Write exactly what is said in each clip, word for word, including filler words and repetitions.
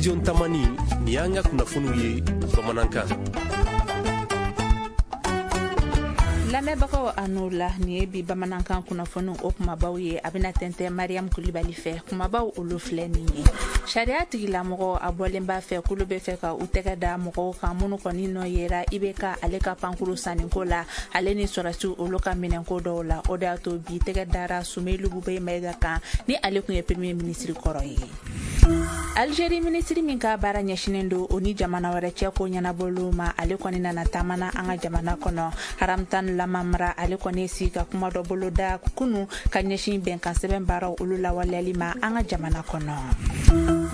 Radio Ntamani, nin y'an ka kunnafoniw ye bamanankan. Lamɛnbagaw, a n'o la, nin ye bi bamanankan kunnafoniw o kumabaw ye. A bɛna tɛntɛn Mariam Kulibali fɛ. Kumabaw olu filɛ nin ye: sariya tigilamɔgɔ a bɔlen b'a fɛ k'olu bɛ fɛ ka u tɛgɛ da mɔgɔw kan minnu kɔni nɔ yera I B K ale ka pankuru sanniko la, ale ni sɔrɔsiw olu ka minɛnko dɔw la. O de y'a to bi tɛgɛ dara Sumelu Bubɛyi Mayiga kan, ni ale tun ye premier ministre kɔrɔ ye. Algérie minisiri min ka baara ɲɛsinen don o ni jamana wɛrɛ cɛ ko ɲɛnabɔliw ma, ale kɔni nana taamana an ka jamana kɔnɔ. Haramtan Lamamra, ale kɔni sigi ka kuma dɔ bolo da kunu ka ɲɛsin bɛnkan sɛbɛn baaraw olu lawaleyali ma an ka jamana kɔnɔ.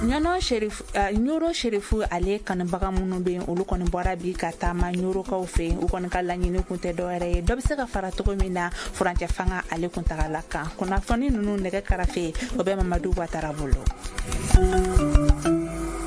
Ɲɔnɔ Sherif, uh, Ɲoro Sherifu ale kanubaga minnu bɛ yen, olu kɔni bɔra bi ka taama Ɲorokaw fɛ yen. U kɔni ka laɲini kun tɛ dɔwɛrɛ ye, dɔ bɛ se ka fara cogo min na furancɛ fanga ale kuntagala kan. Kunnafoni ninnu nɛgɛ karafe, o bɛ Mamadu Watara bolo.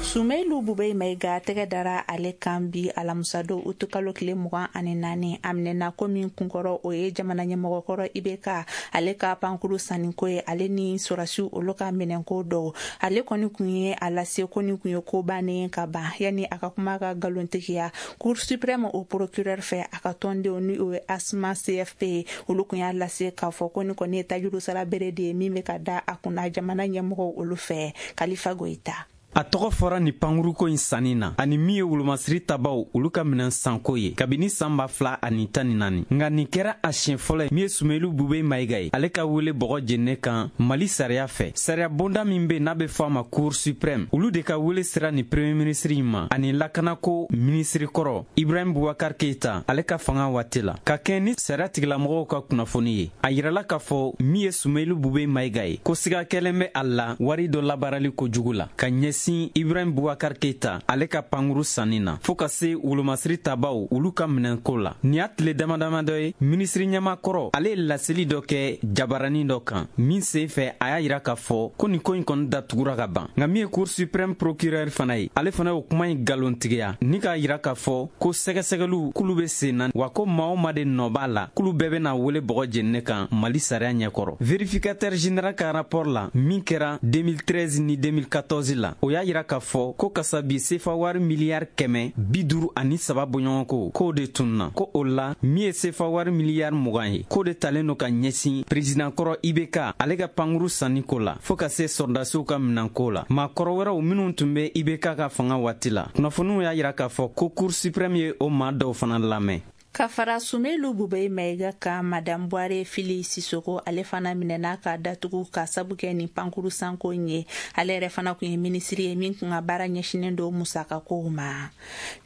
Sumelu Bubɛyi Mayiga tɛgɛ dara ale kan bi alamusadon utukalo tile mugan ani naani. A minɛna ko min kunkɔrɔ, o ye jamana ɲɛmɔgɔkɔrɔ I B K ale ka pankuru sanniko ye, ale ni sɔrɔsiw olu ka minɛnko dɔw. Ale kɔni kun ye a lase ko nin kun ye ko bannen ka ban yanni a ka kuma ka nkalontigiya Cour suprême o procureur fɛ. A ka tɔndenw, ni o ye ASMA C F P ye, olu kun y'a lase k'a fɔ ko nin kɔni ye tajuru sara bere de ye min bɛ ka da a kunna jamana ɲɛmɔgɔw olu fɛ. Kalifa Goyita. A tɔgɔ fɔra ni pankuruko in sanni na ani min ye wolomasiri tabaw olu ka minɛn sanko ye kabini saan ba fila ani tan ni naani. Nka nin kɛra a siɲɛ fɔlɔ ye min ye Sumelu Bube Mayiga ye, ale ka wele bɔgɔ jenine kan Mali sariya fɛ. Sariya bonda min be n'a be fɔ a ma Cour suprême, olu de ka wele sera ni premier ministre in ma ani lakanako minisiri kɔrɔ Ibrahim Bubakar Keita ale ka fanga waati la. Ka kɛɲɛ ni sariya tigilamɔgɔw ka kunnafoni ye, a yirala k'a fɔ min ye Sumelu Bube Mayiga ye, ko siga kɛlen bɛ a la wari dɔ labaarali kojugu la ka ɲɛsin Ibrahim Bubakar Keita ale ka pankuru sanni na, fɔɔ ka se wolomasiri tabaw olu ka minɛnko la. Nin y'a tile dama dama dɔ ye, minisiri ɲɛmakɔrɔ ale ye laseli dɔ kɛ jabaranin dɔ kan min sen fɛ, a y'a yira k'a fɔ ko nin ko in kɔni datugura ka ban. Nka min ye Cour suprême procureur fana ye, ale fana y'o kuma in nkalontigiya ni k'a yira k'a fɔ ko sɛgɛsɛgɛliw k'olu be sen na, wa ko maa o maa de nɔ b'a la, k'olu bɛɛ bena wele bɔgɔ jenine kan Mali sariya ɲɛkɔrɔ. Vérificateur général ka rapport la min kɛra deux mille treize ni deux mille quatorze la, o y'a yira k'a fɔ ko kasabi sefa wari miliyari kɛmɛ bi duru ani saba bɔɲɔgɔnko k'o de tununa, ko o la min ye sefa wari miliyari mugan ye, k'o de talen no ka ɲɛsin président kɔrɔ I B K ale ka pankuru sanniko la, fɔɔ ka se sɔrɔdasiw ka minanko la, maakɔrɔ wɛrɛw minw tun be I B K ka fanga waati la. Kunnafoniw y'a yira k'a fɔ ko Cour suprême ye o maa dɔw fana lamɛn. Ka fara Sumelu Bubɛyi Mayiga ka, Madame Buware Fili Sisoko, ale fana minɛna ka datugu ka sabu kɛ nin pankuru sanko in ye. Ale yɛrɛ fana kun ye minisiri ye min kun ka baara ɲɛsinen don musakakow ma.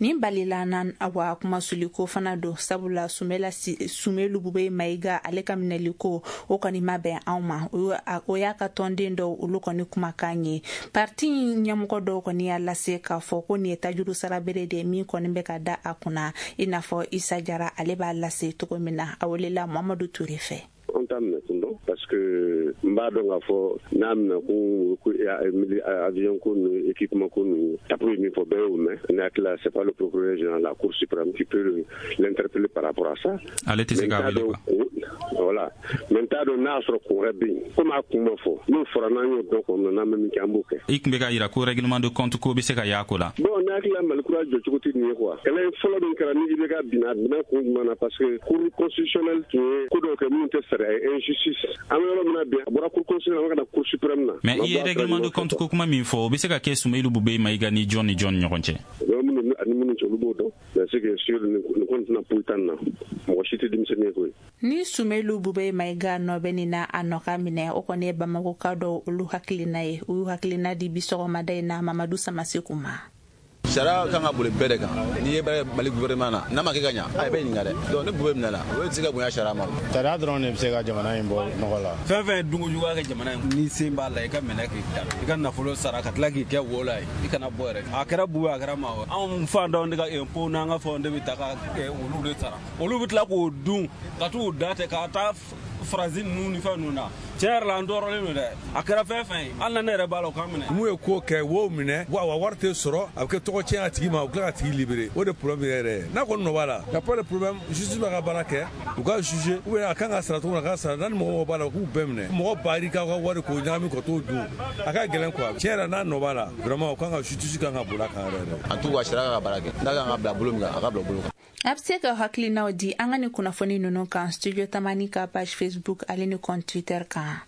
Nin balila na wa kumasuliko fana don, sabula Sumela Sumelu Bubɛyi Mayiga ale ka minɛliko o kɔni ma bɛn anw ma. O y'a ka tɔnden dɔw olu kɔni kumakan ye. Parti ɲɛmɔgɔ dɔw kɔni y'a lase k'a fɔ ko nin ye tajuru sara bere de ye min kɔni bɛ ka da a kunna, i n'a fɔ Isa Jara ale b'a lase cogo min na. A welela Mamadu Ture fɛ. An t'a minɛ kun dɔn, parce que n b'a dɔn k'a fɔ n'a minɛ kun avion ko ninnu, équipement ko ninnu, tapo ye min fɔ, bɛɛ y'o mɛn. Ne hakili la, c'est pas le procureur général, la Cour suprême qui peut l'interpeller par rapport à ça. Ale tɛ se k'a wele quoi. Voilà, mais n t'a dɔn n'a y'a sɔrɔ kun wɛrɛ bɛ yen. Komi a kun ma fɔ, n'o fɔra, n'an y'o dɔn kɔnɔ, n'an bɛ min kɛ, an b'o kɛ. I tun bɛ k'a yira ko règlement de compte ko bɛ se ka y'a ko la. Bon, ne hakili la, Mali kura jɔcogo tɛ nin ye quoi. Kɛlɛ fɔlɔ min kɛra ni I B K binna, a binna kun jumɛn na? Parce que Cour constitutionnelle tun ye ko dɔw kɛ minnu tɛ sariya ye, injustice. An bɛ yɔrɔ min na bi, a bɔra Cour constitutionnelle, an bɛ ka na Cour suprême na. Mais i ye règlement de compte ko kuma min fɔ, o bɛ se ka kɛ Sumelu Bubɛyi Mayiga ni jɔn ni jɔn ni ɲɔgɔn cɛ? Minnu ani minnu cɛ, olu b'o dɔn. Mais ce qui est sûr, nin ko nin tɛna poyi tan na, mɔgɔ si tɛ denmisɛnnin ye koyi. Ni Sumelu Bubɛyi Mayiga nɔ bɛ nin na, a nɔ ka minɛ, o kɔni ye Bamakoka dɔw olu hakilina ye. U y'u hakilina di bi sɔgɔmada in na Mamadu Samaseku ma. Sariya kan ka boli bɛɛ de kan. N'i ye baara Mali gouvernement na, n'a ma kɛ ka ɲa, a bɛ ɲininka dɛ. Donc ni Bube minɛna, o tɛ se ka bonya sariya ma. Sariya dɔrɔn de bɛ se ka jamana in bɔ nɔgɔ la. Fɛn fɛn ye dunko juguya kɛ jamana in, n'i sen b'a la, i ka minɛ k'i da, i ka nafolo sara ka tila k'i kɛ wo la ye, i kana bɔ yɛrɛ. A kɛra Bube, a kɛra maa wɛrɛ, anw fantanw de ka impôt n'an ka fɛnw de bɛ ta ka olu de sara. Olu bɛ tila k'o dun ka t'u da tɛ ka taa. Faransi ninnu ni fɛn ninnu na. Tiɲɛ yɛrɛ la, an tɔɔrɔlen don dɛ. A kɛra fɛn fɛn ye, hali na ne yɛrɛ b'a la, o k'an minɛ. Mun ye ko kɛ, wo minɛ wa wa wari tɛ sɔrɔ, a bɛ kɛ tɔgɔ tiɲɛ a tigi ma, u tila ka tigi libérer. O de problème yɛrɛ ye. N'a kɔni nɔ b'a la, y a pas de problème, justice b'a ka baara kɛ, u ka juger ou bien a kan ka sara cogo min na, a ka sara. N'a ni mɔgɔ mɔgɔ b'a la, u k'u bɛɛ minɛ. Mɔgɔ ba ka ka wari k'o ɲagami ka t'o dun, a ka gɛlɛn quoi. Tiɲɛ yɛrɛ, n'a nɔ b'a la, vraiment, u kan ka justice kan ka boli a kan yɛrɛ yɛrɛ. En tout cas, sariya ka baara kɛ, n'a kan ka bila bolo min kan, a ka bila bolo kan. A bɛ se ka hakilinaw di an ka ni kunnafoni ninnu kan Studio Tamani ka page Facebook ale ni compte Twitter kan.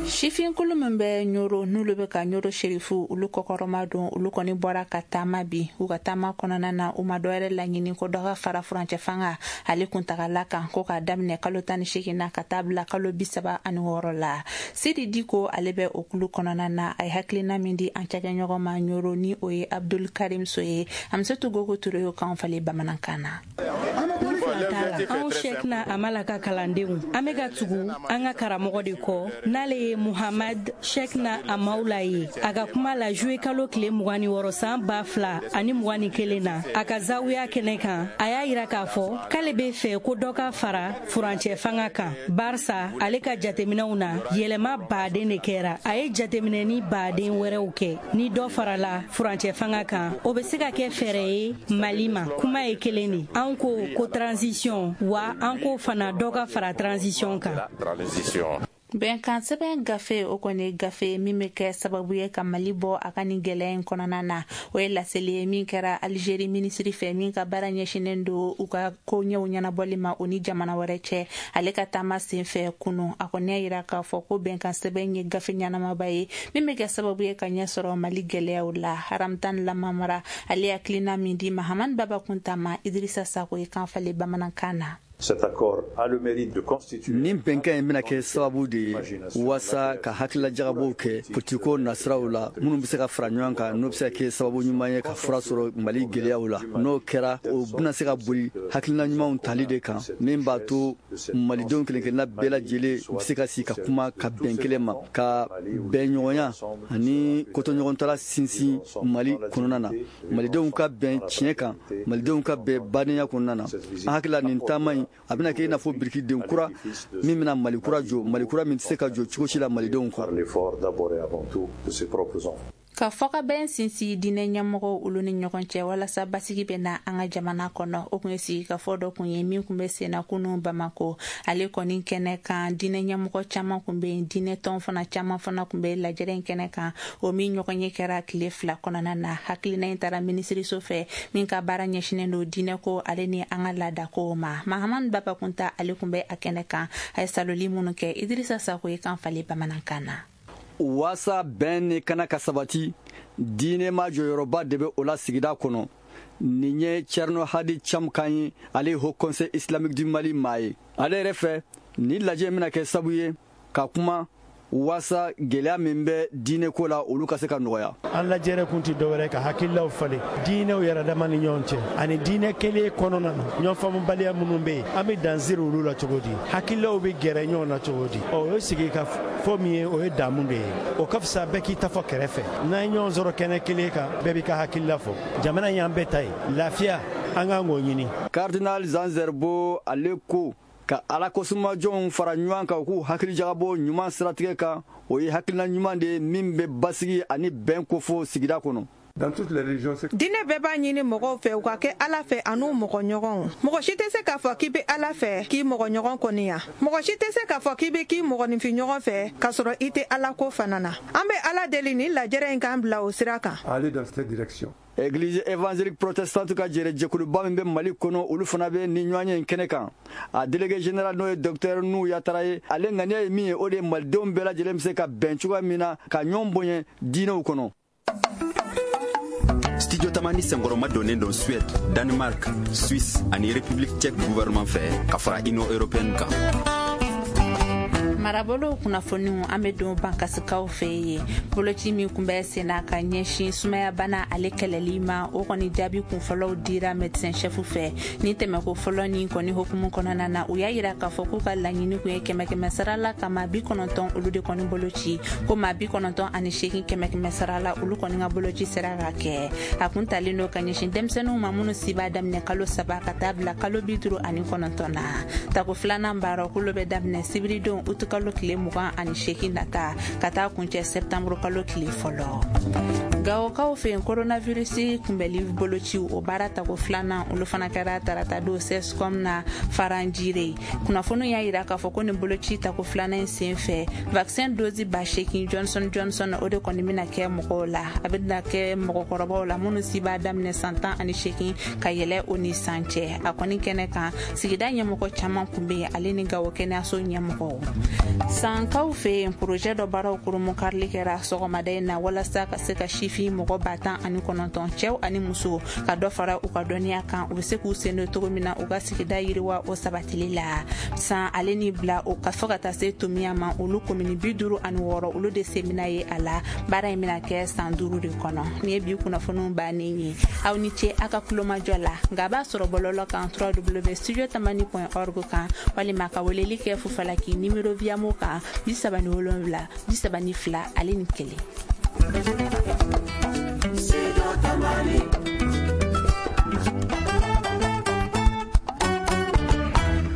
Sifinkulu min bɛ Ɲoro, n'olu bɛ ka Ɲoro Serifu olu kɔkɔrɔma don, olu kɔni bɔra ka taama bi. U ka taama kɔnɔna na, u ma dɔwɛrɛ laɲini ko dɔ ka fara furancɛ fanga ale kuntagala kan, ko k'a daminɛ kalo tan ni seegin na ka taa bila kalo bi saba ani wɔɔrɔ la. Sidi Diko, ale bɛ o kulu kɔnɔna na. A ye hakilina min di an cakɛɲɔgɔn ma Ɲoro, ni o ye Abdul Karim So ye, Amisetu Gogo Ture y'o kan falen bamanankan na. Anw Sɛkina Amala ka kalandenw, an bɛ ka tugu an ka karamɔgɔ de kɔ, n'ale ye Muhamad Sɛkina Amawula ye. A ka kuma la juillet kalo tile mugan ni wɔɔrɔ san ba fila ani mugan ni kelen na, a ka zawiya kɛnɛ kan, a y'a yira k'a fɔ k'ale bɛ fɛ ko dɔ ka fara furancɛ fanga kan, barisa ale ka jateminɛw na, yɛlɛma baden de kɛra. A ye jateminɛni baden wɛrɛw kɛ. Ni dɔ farala furancɛ fanga kan, o bɛ se ka kɛ fɛɛrɛ ye Mali ma. Kuma ye kelen de, anw ko ko transition, wa an ko fana dɔ ka fara transition kan. Bɛnkan sɛbɛn gafe, o kɔni ye gafe min bɛ kɛ sababu ye ka Mali bɔ a ka nin gɛlɛya in kɔnɔna na. O ye laseli ye min kɛra Alizeri minisiri fɛ, min ka baara ɲɛsinnen don u ka koɲɛw ɲɛnabɔli ma o ni jamana wɛrɛ cɛ, ale ka taama senfɛ kunu. A kɔni y'a yira k'a fɔ ko bɛnkan sɛbɛn ye gafe ɲɛnamaba ye min bɛ kɛ sababu ye ka ɲɛ sɔrɔ Mali gɛlɛyaw la. Haramtan Lamamara, ale hakilina min di Mahamani Baba Kunta ma, Idirisa Sako ye kan falen bamanankan na. Nin bɛnkan in bɛna kɛ sababu de ye waasa ka hakililajagabɔw kɛ politiko nasiraw la, minnu bɛ se ka fara ɲɔgɔn kan, n'o bɛ se ka kɛ sababu ɲuman ye ka fura sɔrɔ Mali gɛlɛyaw la. N'o kɛra, o bɛna se ka boli hakilina ɲumanw tali de kan, min b'a to malidenw kelen-kelenna bɛɛ lajɛlen bɛ se ka sigi ka kuma ka bɛn kelen ma, ka bɛnɲɔgɔnya ani kotɔɲɔgɔntala sinsin Mali kɔnɔna na, malidenw ka bɛn tiɲɛ kan, malidenw ka bɛn badenya kɔnɔna na. An hakili la, nin taama in, a bɛna kɛ i n'a fɔ birikiden kura min bɛna Mali kura jɔ, Mali kura min tɛ se ka jɔ cogo si la malidenw kɔ. Ka fɔkabɛn sinsin diinɛ ɲɛmɔgɔw olu ni ɲɔgɔn cɛ walasa basigi bɛ na an ka jamana kɔnɔ, o kun ye sigikafɔ dɔ kun ye min kun bɛ senna kunun Bamako. Ale kɔni kɛnɛ kan, diinɛ ɲɛmɔgɔ caman kun bɛ yen, diinɛ tɔn fana caman fana kun bɛ lajɛrɛ in kɛnɛ kan, o min ɲɔgɔn ye kɛra tile fila kɔnɔna na. Hakilina in taara minisiriso fɛ min ka baara ɲɛsinnen don diinɛko ale ni an ka laadakow ma. Mahamani Baba Kunta, ale kun bɛ a kɛnɛ kan. A ye saloli minnu kɛ, Idirisa Sako ye kan falen bamanankan na. Waasa bɛn ni kana ka sabati, diinɛ ma jɔyɔrɔba de bɛ o la sigida kɔnɔ. Nin ye Thierno Hadi Cham kan ye, ale ye Haut Conseil islamique du Mali maa ye. Ale yɛrɛ fɛ, nin lajɛ bɛna kɛ sabu ye ka kuma waasa gɛlɛya min bɛ diinɛko la, olu ka se ka nɔgɔya. An lajɛrɛ kun tɛ dɔwɛrɛ ka hakililaw falen diinɛw yɛrɛ dama ni ɲɔgɔn cɛ, ani diinɛ kelen kɔnɔna na, ɲɔgɔn faamubaliya minnu bɛ yen, an bɛ dansiri olu la cogo di, hakililaw bɛ gɛrɛ ɲɔgɔn na cogo di. Ɔ, o ye sigi ka fɔ min ye, o ye damu de ye. O ka fisa bɛɛ k'i ta fɔ kɛrɛfɛ. N'an ye ɲɔgɔn sɔrɔ kɛnɛ kelen kan, bɛɛ b'i ka hakilila fɔ. Jamana in y'an bɛɛ ta ye, lafiya an k'an k'o ɲini. Cardinal Jean Zerbo, ale ko ka ala kosumajɔnw fara ɲɔgɔn kan, u k'u hakili jagabɔ ɲuman siratigɛ kan, o ye hakilina ɲuman de ye min bɛ basigi ani bɛn kofɔ sigida kɔnɔ. Diinɛ bɛɛ b'a ɲini mɔgɔw fɛ u ka kɛ Ala fɛ an'u mɔgɔ ɲɔgɔnw. Mɔgɔ si tɛ se k'a fɔ k'i bɛ Ala fɛ k'i mɔgɔ ɲɔgɔn kɔniya. Mɔgɔ si tɛ se k'a fɔ k'i bɛ k'i mɔgɔninfin ɲɔgɔn fɛ k'a sɔrɔ i tɛ Ala ko fana na. An bɛ Ala deli nin lajɛrɛ in k'an bila o sira kan. Église évangélique protestante ka jɛrɛ jɛkuluba min bɛ Mali kɔnɔ, olu fana bɛ ni ɲɔgɔn ye kɛnɛ kan. A délégué général, n'o ye docteur Nu Yatara ye, ale ŋaniya ye min ye, o de ye malidenw bɛɛ lajɛlen bɛ se ka bɛn cogoya min na, ka ɲɔgɔn bonya diinɛw kɔnɔ. Studio Tamani senkɔrɔma donnen don Suède, Danemark, Suisse ani République tchèque gouvernement fɛ, ka fara Union européenne kan. Marabolo kunnafoniw, an bɛ don Bankasikaw fɛ yen. Boloci min kun bɛ senna ka ɲɛsin sumaya bana ale kɛlɛli ma, o kɔni jaabi kunfɔlɔw dira médecin chef fɛ. Ni tɛmɛko fɔlɔ ni kɔni hukumu kɔnɔna na, u y'a yira k'a fɔ k'u ka laɲini kun ye kɛmɛ kɛmɛ sara la ka maa bi kɔnɔntɔn olu de kɔni boloci, ko maa bi kɔnɔntɔn ani seegin kɛmɛ kɛmɛ sara la olu kɔni ka boloci sera ka kɛ. A kun talen don ka ɲɛsin denmisɛnninw ma minnu si b'a daminɛ kalo saba ka taa bila kalo bi duuru ani kɔnɔntɔn na. Tako filanan baara kolo bɛ daminɛ sibiridon utu kalo tile mugan ani seegin nata ka taa kuncɛ sɛptanburu kalo tile fɔlɔ. Gawokaw fɛ yen, coronavirus kunbɛli boloci o baara tako filanan olu fana kɛra tarata don C S C O M na Faranjire. Kunnafoniw y'a yira k'a fɔ ko nin boloci tako filanan in sen fɛ, vaccin dose ba seegin Johnson Johnson o de kɔni bɛna kɛ mɔgɔw la. A bɛna kɛ mɔgɔkɔrɔbaw la minnu si b'a daminɛ san tan ani seegin ka yɛlɛ o ni san cɛ. A kɔni kɛnɛ kan, sigida ɲɛmɔgɔ caman kun bɛ yen, ale ni Gawo kɛnɛyaso ɲɛmɔgɔw. Sankaw fɛ yen, projet dɔ baaraw kurunbonkarili kɛra sɔgɔmada in na walasa ka se ka sifin mɔgɔ ba tan ani kɔnɔntɔn, cɛw ani muso, ka dɔ fara u ka dɔnniya kan, u bɛ se k'u sen don cogo min na u ka sigida yiriwa o sabatili la. San ale ni bila o ka fɔ ka taa se Tomiya ma, olu komini bi duuru ani wɔɔrɔ olu de sen bɛna ye a la. Baara in bɛna kɛ san duuru de kɔnɔ. Nin ye bi kunnafoniw bannen ye. Aw ni ce aw ka kulomajɔ la. Nka a b'a sɔrɔ bɔlɔlɔ kan W W studio tamani point org kan, walima ka weleli kɛ Fufalaki numéro Viamo kan bi saba ni wolonwula bi saba ni fila ale ni kelen. Studio Tamani.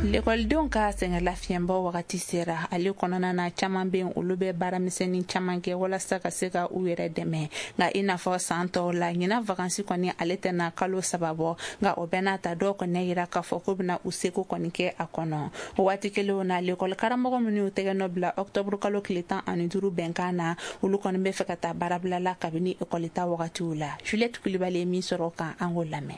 Lekɔlidenw ka sɛgɛnlafiɲɛbɔ wagati sera. Ale kɔnɔna na, caman bɛ yen, olu bɛ baaramisɛnnin caman kɛ walasa ka se ka u yɛrɛ dɛmɛ. Nka i n'a fɔ san tɔw la, ɲinan vacances kɔni ale tɛna kalo saba bɔ. Nka o bɛɛ n'a ta, dɔw kɔni yira k'a fɔ k'u bɛna u seko kɔni kɛ a kɔnɔ. O waati kelenw na, lekɔli karamɔgɔ minnu y'u tɛgɛ nɔ bila ɔkutɔburu kalo tile tan ani duuru bɛnkan na, olu kɔni bɛ fɛ ka taa baarabila la kabini ekɔli ta wagatiw la. Juliette Kulibali ye min sɔrɔ o kan, an k'o lamɛn.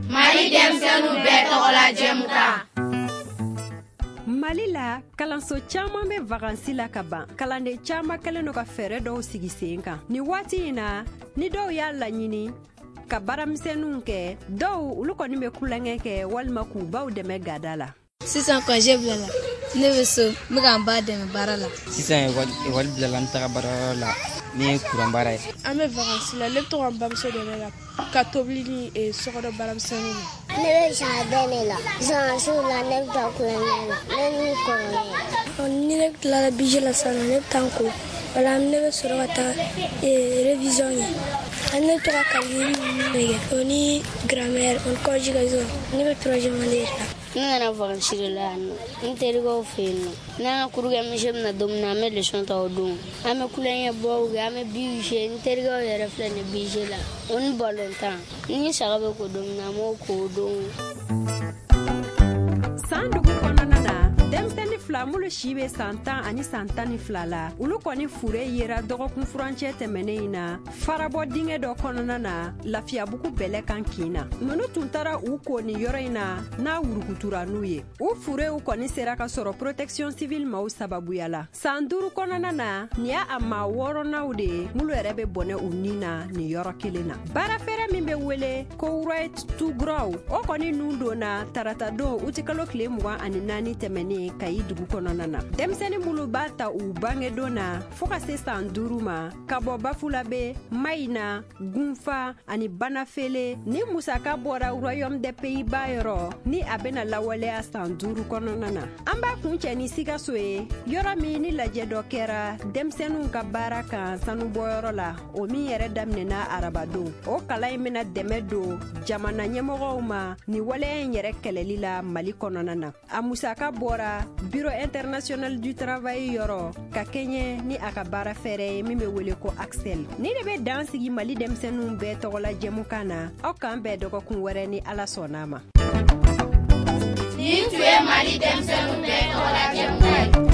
Mali denmisɛnninw bɛɛ tɔgɔla jɛmukan. Mali la, kalanso caman bɛ vacances la ka ban. Kalanden caman kɛlen don ka fɛɛrɛ dɔw sigi sen kan nin waati in na. Ni dɔw y'a laɲini ka baaramisɛnninw kɛ, dɔw olu kɔni bɛ kulonkɛ kɛ walima k'u baw dɛmɛ gada la. Sisan congé bilala, ne bɛ so, n bɛ ka n ba dɛmɛ baara la. Sisan ekɔli bilala, n taga baarayɔrɔ la min ye kuran baara ye. An bɛ vacances la, ne bɛ to ka n bamuso dɛmɛ ka ka tobili ni sokɔnɔ baaramisɛnninw. Ne bɛ jardin de la. Vacances la, ne bɛ taa kulonkɛ la, ne ni kɔrɔkɛ. Ni ne tilala budget la sisan, ne bɛ taa n ko, wala ne bɛ sɔrɔ ka taa révision kɛ. Ne bɛ to ka calcul ninnu de kɛ, o ni grammaire, o ni conjugaison. Ne bɛ troisième année de la. Ne nana vacances de la yan nɔ, n terikɛw fɛ yen nɔ. N'an ka cours kɛ monsieur bɛna don min na, an bɛ leçon ta o don. An bɛ kulonkɛ bɔw kɛ, an bɛ billes jouer. N terikɛw yɛrɛ filɛ nin ye bille la, o ni balontan. Ni saga bɛ ko don min na, an b'o ko o don. San dugu kɔnɔna na, denmisɛnnin fila minnu si bɛ san tan ani san tan ni fila la, olu kɔni fure yera dɔgɔkun furancɛ tɛmɛnen in na farabɔ dingɛ dɔ kɔnɔna na Lafiyabugu bɛlɛ kan kin na. Ninnu tun taara u ko nin yɔrɔ in na n'a wurukutura n'u ye. U furew kɔni sera ka sɔrɔ protection civile maaw sababuya la. San duuru kɔnɔna na, nin y'a a maa wɔɔrɔnaw de ye minnu yɛrɛ bɛ bɔnɛ u ni na nin yɔrɔ kelen na. Baarafɛɛrɛ min bɛ wele ko Right to Grow, o kɔni nun donna taratadon utikalo tile mugan ani naani tɛmɛnen Kayi dugu kɔnɔna na. Denmisɛnnin minnu b'a ta u bangedon na fɔɔ ka se san duuru ma, ka bɔ Bafulabe, Mayina, Gunfa ani Banafele, ni musaka bɔra Royaume des Pays-Bas yɔrɔ ni a bɛna lawaleya san duuru kɔnɔna na. An b'a kuncɛ ni Sikaso ye, yɔrɔ min ni lajɛ dɔ kɛra denmisɛnninw ka baara kan sanubɔyɔrɔ la, o min yɛrɛ daminɛna arabadon. O kalan in bɛna dɛmɛ don jamana ɲɛmɔgɔw ma ni waleya in yɛrɛ kɛlɛli la Mali kɔnɔna na. A musaka bɔra Bureau international du travail yɔrɔ ka kɛɲɛ ni a ka baara fɛɛrɛ ye min bɛ wele ko Axel. Ni de bɛ dan sigi Mali denmisɛnninw bɛɛ tɔgɔla jɛmukan na. Aw k'an bɛn dɔgɔkun wɛrɛ ni Ala sɔnna ma. Nin tun ye Mali denmisɛnninw bɛɛ tɔgɔla jɛmukan ye.